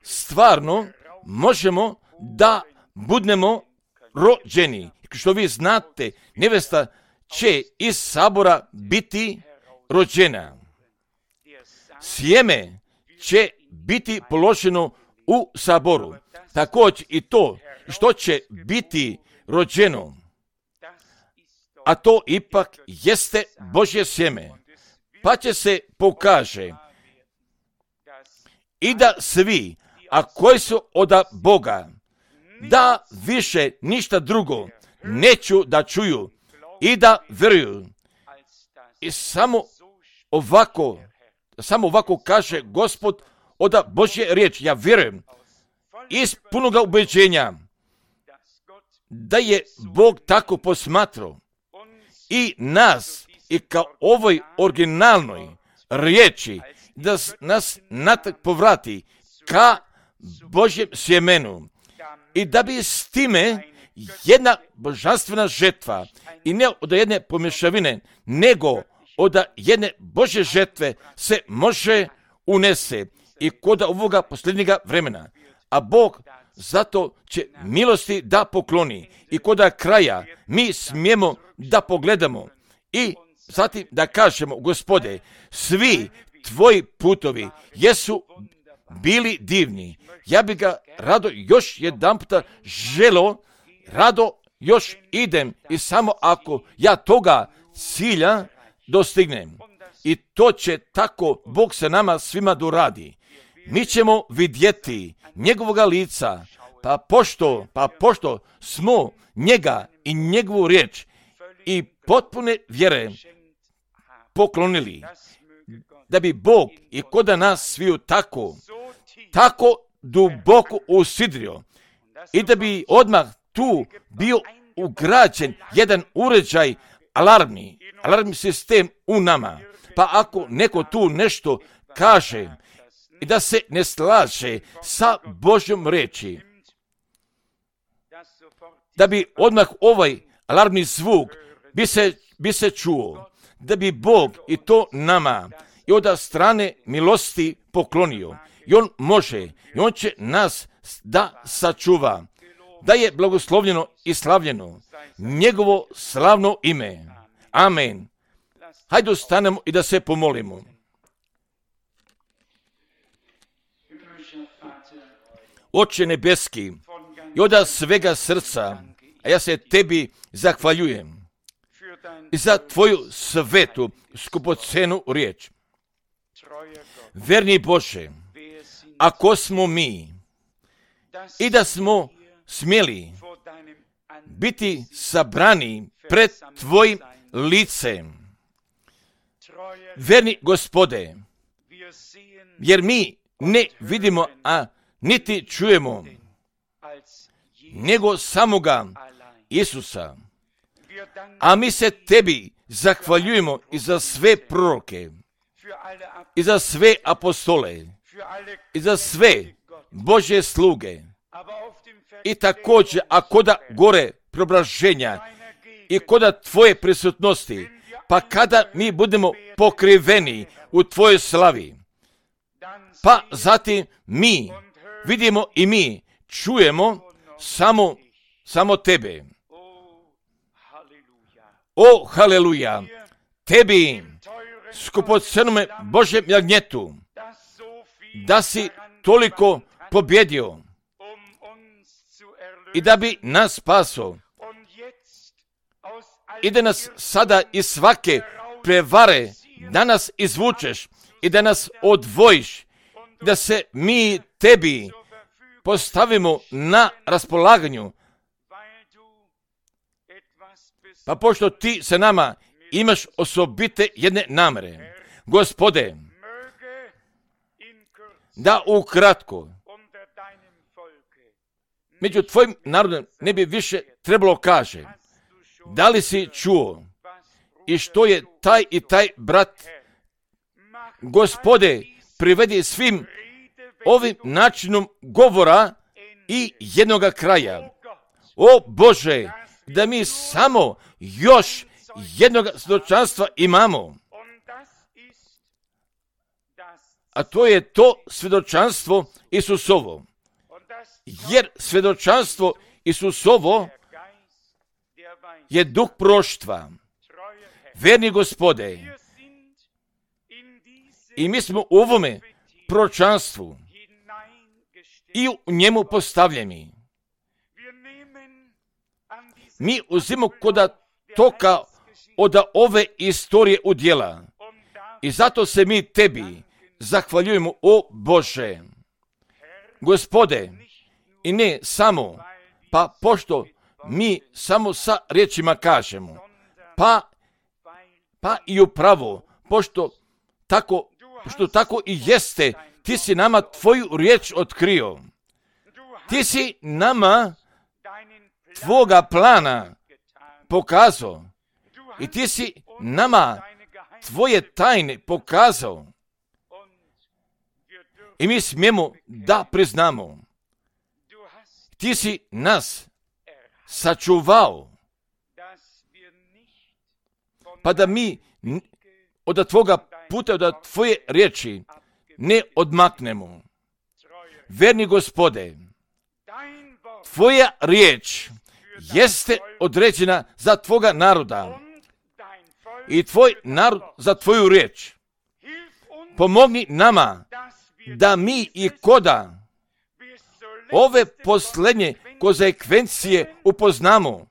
Speaker 1: stvarno možemo da budemo rođeni. Što vi znate, nevesta će iz sabora biti rođena. Sjeme će biti položeno u saboru. Također i to što će biti rođeno, a to ipak jeste Božje sjeme. Pa će se pokaže i da svi, a koji su od Boga, da više ništa drugo neću da čuju i da vjeruju. I samo ovako kaže Gospod od Božje riječi. Ja vjerujem iz punoga ubeđenja da je Bog tako posmatrao i nas i kao ovoj originalnoj riječi da nas natrag povrati ka Božjem sjemenu i da bi s time jedna božanstvena žetva i ne od jedne pomješavine, nego od jedne Božje žetve se može unese i kod ovoga posljednjega vremena. A Bog zato će milosti da pokloni i kod kraja mi smijemo da pogledamo i zatim da kažemo, Gospode, svi tvoji putovi jesu bili divni. Ja bi ga rado još jedan puta želo, rado još idem i samo ako ja toga cilja dostignem. I to će tako Bog se nama svima doradi. Mi ćemo vidjeti njegovoga lica, pa pošto smo njega i njegovu riječ i potpune vjere poklonili, da bi Bog i koda nas sviju tako duboko usidrio i da bi odmah tu bio ugrađen jedan uređaj, alarmni sistem u nama. Pa ako neko tu nešto kaže i da se ne slaže sa Božjom riječi, da bi odmah ovaj alarmni zvuk bi se čuo, da bi Bog i to nama i od strane milosti poklonio. I on može, i on će nas da sačuva, da je blagoslovljeno i slavljeno njegovo slavno ime. Amen. Hajde ostanemo i da se pomolimo. Oče nebeski, i od svega srca, a ja se tebi zahvaljujem i za tvoju svetu, skupocenu riječ. Verni Bože, ako smo mi i da smo smjeli biti sabrani pred tvojim licem, verni Gospode, jer mi ne vidimo, a niti čujemo, nego samoga Isusa. A mi se tebi zahvaljujemo i za sve proroke, i za sve apostole, i za sve Božje sluge. I također, a koda gore preobraženja i koda tvoje prisutnosti, pa kada mi budemo pokriveni u tvojoj slavi, pa zatim mi vidimo i mi čujemo samo tebe. O, haleluja, tebi, skupocenome Božjem jagnjetu, da si toliko pobjedio i da bi nas spaso i da nas sada iz svake prevare danas izvučeš i da nas odvojiš, da se mi tebi postavimo na raspolaganju. Pa pošto ti sa nama imaš osobite jedne namere, Gospode, da ukratko među tvojim narodom ne bi više trebalo kaže, da li si čuo i što je taj i taj brat, Gospode, privedi svim ovim načinom govora i jednoga kraja. O Bože, da mi samo još jednog svjedočanstva imamo. A to je to svjedočanstvo Isusovo. Jer svjedočanstvo Isusovo je duh proštva. Verni Gospode, i mi smo u ovome proročanstvu i u njemu postavljeni. Mi uzimamo koda toka od ove istorije udjela. I zato se mi tebi zahvaljujemo, o Bože. Gospode, i ne samo, pa pošto mi samo sa riječima kažemo, pa i upravo, pošto tako i jeste, ti si nama tvoju riječ otkrio. Ti si nama tvoga plana pokazao i ti si nama tvoje tajne pokazao. I mi smijemo da priznamo, ti si nas sačuvao, pa da mi od tvoga puta, od tvoje riječi ne odmaknemo. Verni Gospode, tvoja riječ jeste određena za tvoga naroda i tvoj narod za tvoju riječ. Pomogni nama da mi i koda ove posljednje konsekvencije upoznamo.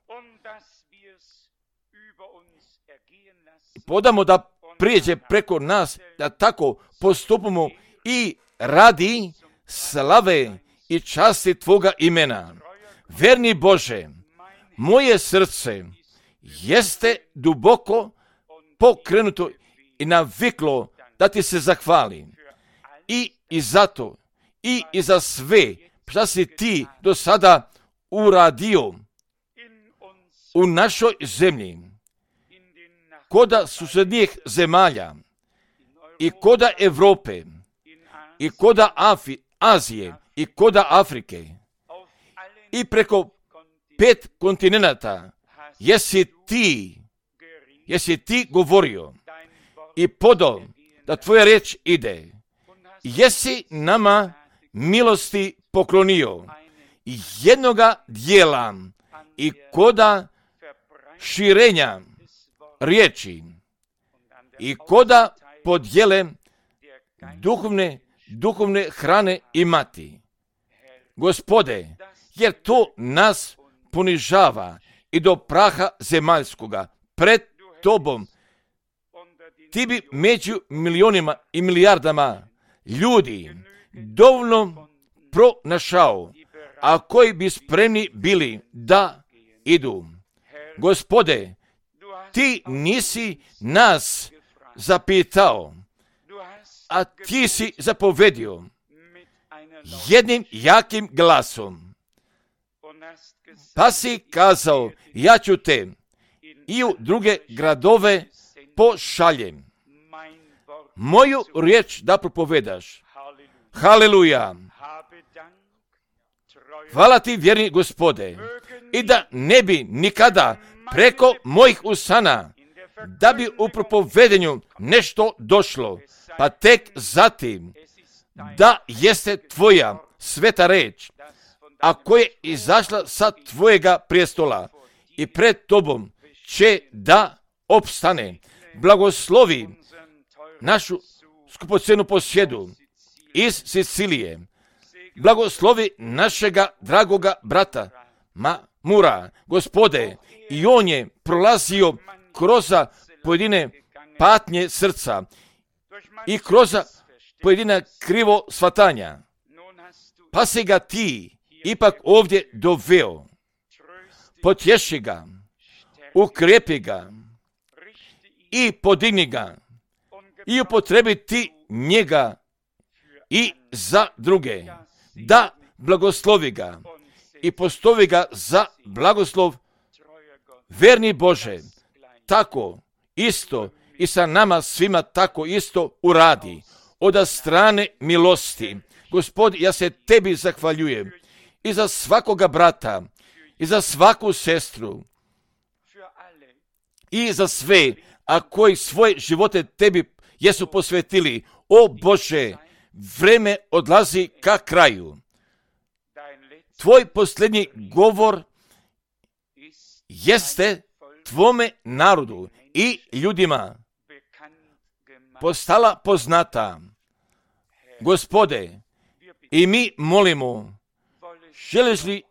Speaker 1: Podamo da prijeđe preko nas, da tako postupimo i radi slave i časti tvoga imena. Verni Bože, moje srce jeste duboko pokrenuto i naviklo da ti se zahvalim. I zato, i za sve šta si ti do sada uradio u našoj zemlji, koda susjednijih zemalja, i koda Evrope, i koda Azije, i koda Afrike, i preko 5 kontinenata, jesi ti govorio i podao da tvoja riječ ide. Jesi nama milosti poklonio jednoga dijela i koda širenja riječi i koda podjele duhovne hrane imati. Gospode, jer to nas ponižava i do praha zemaljskoga pred tobom. Ti bi među milionima i milijardama ljudi dovoljno pronašao, a koji bi spremni bili da idu. Gospode, ti nisi nas zapitao, a ti si zapovedio jednim jakim glasom. Pa si kazao, ja ću te i u druge gradove pošaljem. Moju riječ da propovedaš. Haleluja. Hvala ti, vjerni Gospode, i da ne bi nikada preko mojih usana da bi u propovedenju nešto došlo, pa tek zatim da jeste tvoja sveta reč, a koja je izašla sa tvojega prijestola i pred tobom će da opstane. Blagoslovi našu skupocenu posjedu iz Sicilije. Blagoslovi našega dragoga brata Mura, Gospode, i on je prolazio kroz pojedine patnje srca i kroz pojedina krivo shvatanja. Pa si ga ti ipak ovdje doveo. Potješi ga, ukrijepi ga i podigni ga i upotrebi ti njega i za druge. Da blagoslovi ga i postavi ga za blagoslov. Verni Bože, tako isto i sa nama svima tako isto uradi. Od strane milosti. Gospod, ja se tebi zahvaljujem i za svakoga brata i za svaku sestru i za sve, a koji svoje živote tebi jesu posvetili. O Bože, vreme odlazi ka kraju. Tvoj posljednji govor jeste tvome narodu i ljudima postala poznata. Gospode, i mi molimo,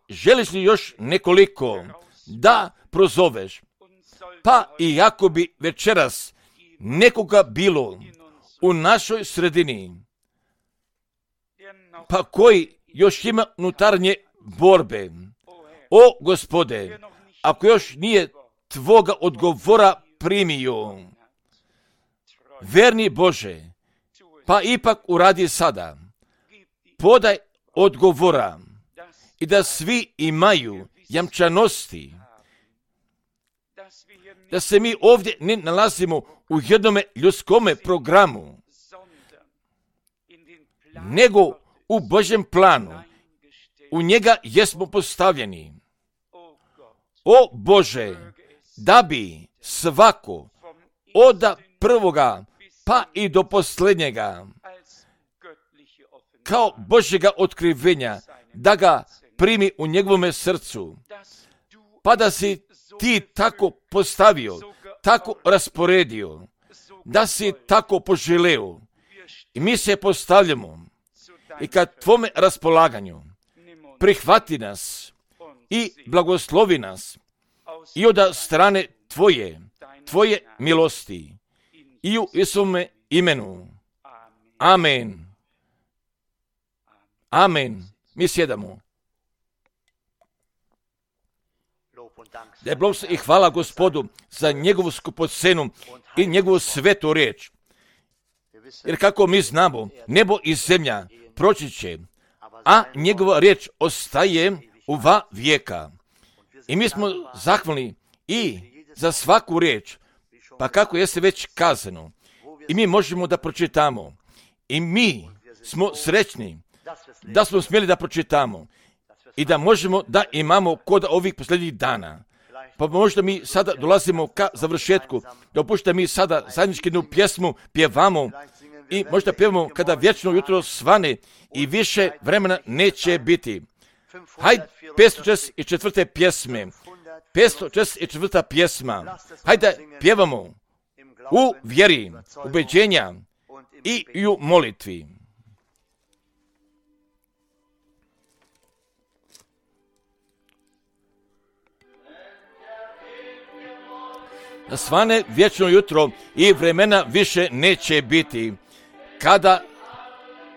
Speaker 1: želiš li još nekoliko da prozoveš? Pa i ako bi večeras nekoga bilo u našoj sredini, pa koji još ima unutarnje borbe, o Gospode, ako još nije tvoga odgovora primio, verni Bože, pa ipak uradi sada, podaj odgovora i da svi imaju jamčanosti, da se mi ovdje ne nalazimo u jednome ljudskome programu, nego u Božjem planu. U njega jesmo postavljeni. O Bože, da bi svako od prvoga pa i do posljednjega kao Božjega otkrivenja, da ga primi u njegovome srcu, pa da si ti tako postavio, tako rasporedio, da si tako poželeo. I mi se postavljamo i kad tvome raspolaganju prihvati nas i blagoslovi nas i od strane tvoje milosti i u Isume imenu. Amen. Amen. Mi sjedamo. Da je blagoslov i hvala Gospodu za njegovu skupocenu i njegovu svetu riječ. Jer kako mi znamo, nebo i zemlja proći će, a njegova riječ ostaje u vijeka. I mi smo zahvalni i za svaku riječ, pa kako jeste već kazano. I mi možemo da pročitamo. I mi smo srećni da smo smjeli da pročitamo i da možemo da imamo kod ovih posljednjih dana. Pa možda mi sada dolazimo ka završetku, da opušta mi sada zajednički jednu pjesmu pjevamo i možda pjevamo kada vječno jutro svane i više vremena neće biti. Hajde, 544. pjesme, 544. pjesma, hajde pjevamo u vjeri, ubeđenja i u molitvi. Da svane vječno jutro i vremena više neće biti. Kada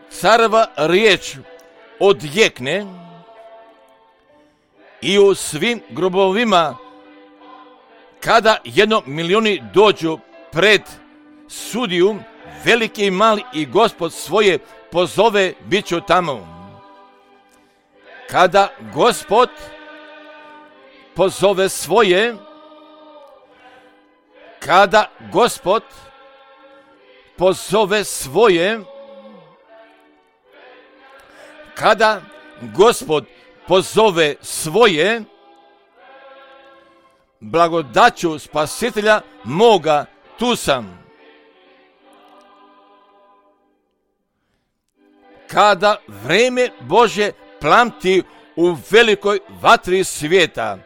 Speaker 1: careva riječ odjekne i u svim grobovima, kada 1 milioni dođu pred sudiju, veliki i mali i Gospod svoje pozove, bit ću tamo. Kada Gospod pozove svoje, kada Gospod pozove svoje, kada Gospod pozove svoje, blagodaću Spasitelja moga tu sam. Kada vreme Bože plamti u velikoj vatri svijeta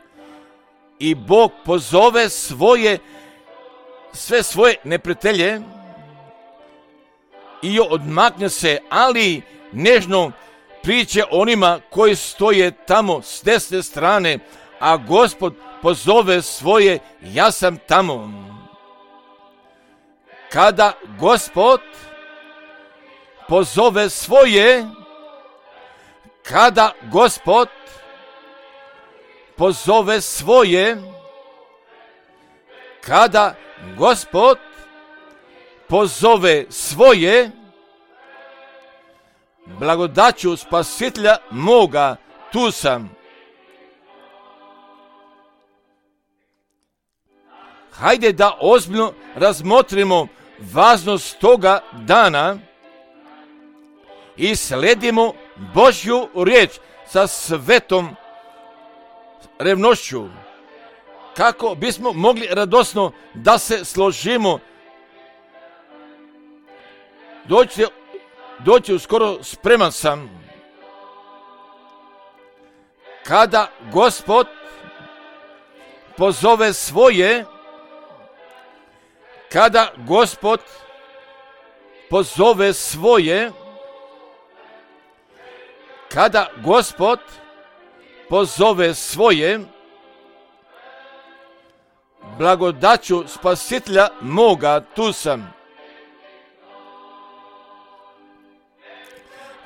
Speaker 1: i Bog pozove sve svoje neprijatelje i odmakne se, ali nežno priče onima koji stoje tamo s desne strane, a Gospod pozove svoje, ja sam tamo. Kada Gospod pozove svoje, kada Gospod pozove svoje, kada Gospod pozove svoje, blagodaću Spasitelja moga, tu sam. Hajde da ozbiljno razmotrimo važnost toga dana i sledimo Božju riječ sa svetom revnošću, kako bismo mogli radosno da se složimo. Doći uskoro, spreman sam. Kada Gospod pozove svoje, kada Gospod pozove svoje, kada Gospod pozove svoje, blagodaću Spasitelja moga, tu sam.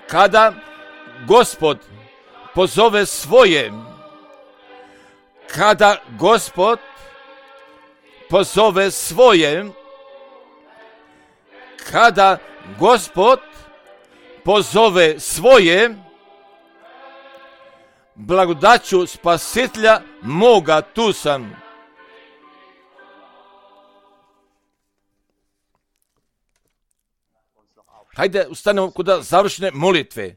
Speaker 1: Kada Gospod pozove svoje, kada Gospod pozove svoje, kada Gospod pozove svoje, blagodaću Spasitelja moga, tu sam. Hajde ustanemo kod završne molitve.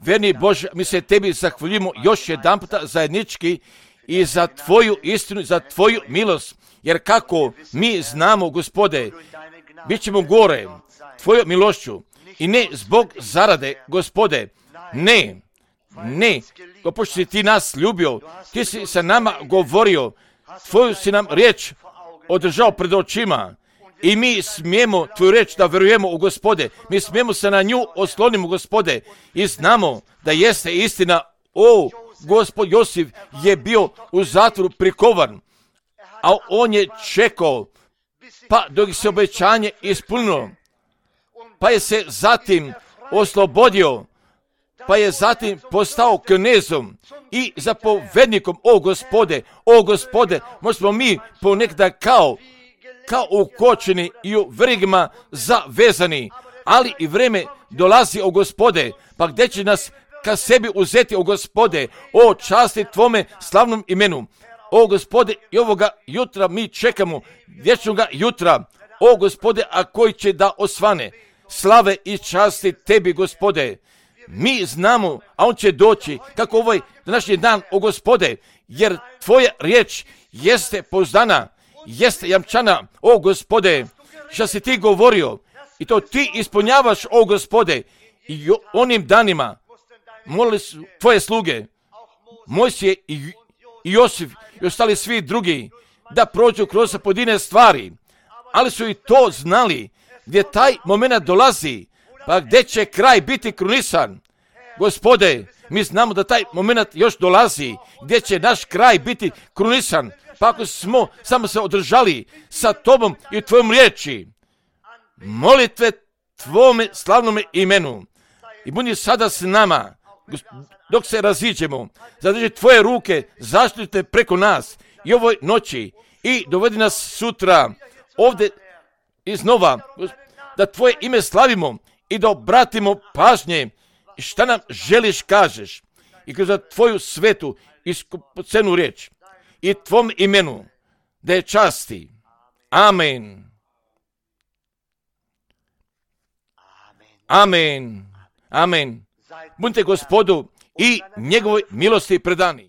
Speaker 1: Verni Bože, mi se tebi zahvaljujemo još jedan puta zajednički i za tvoju istinu, za tvoju milost. Jer kako mi znamo, Gospode, bit ćemo gore tvojom milošću i ne zbog zarade, Gospode. Ne, pošto si ti nas ljubio, ti si sa nama govorio, tvoju si nam riječ održao pred očima. I mi smijemo tvoju reč da verujemo u, Gospode. Mi smijemo se na nju oslonimo, Gospode. I znamo da jeste istina. Gospod Josif je bio u zatvoru prikovan, a on je čekao, pa dok se obećanje ispunilo, pa je se zatim oslobodio, pa je zatim postao knezom i zapovednikom. O Gospode, možemo mi ponekada kao ukočeni i u verigama zavezani, ali i vreme dolazi, o Gospode, pa gdje će nas ka sebi uzeti, o Gospode, o časti tvome slavnom imenu. O Gospode, i ovoga jutra mi čekamo, vječnoga jutra, o Gospode, a koji će da osvane slave i časti tebi, Gospode. Mi znamo, a on će doći, kako ovaj današnji dan, o Gospode, jer tvoja riječ jeste pouzdana, jeste jamčana, o Gospode, što si ti govorio i to ti ispunjavaš, o Gospode. I onim danima molili su tvoje sluge, Mojsije i Josif i ostali svi drugi, da prođu kroz pojedine stvari, ali su i to znali gdje taj moment dolazi, pa gdje će kraj biti krunisan. Gospode, mi znamo da taj moment još dolazi, gdje će naš kraj biti krunisan, pa ako smo samo se održali sa tobom i tvojom riječi, molitve tvome slavnome imenu, i budi sada s nama, dok se raziđemo, zadrži tvoje ruke, zaštite preko nas i ovoj noći i dovedi nas sutra ovdje iznova, da tvoje ime slavimo i da obratimo pažnje šta nam želiš kažeš i kroz tvoju svetu i skupocenu riječ i tvom imenu da je časti. Amen. Amen. Amen. Budite Gospodu i njegovoj milosti predani.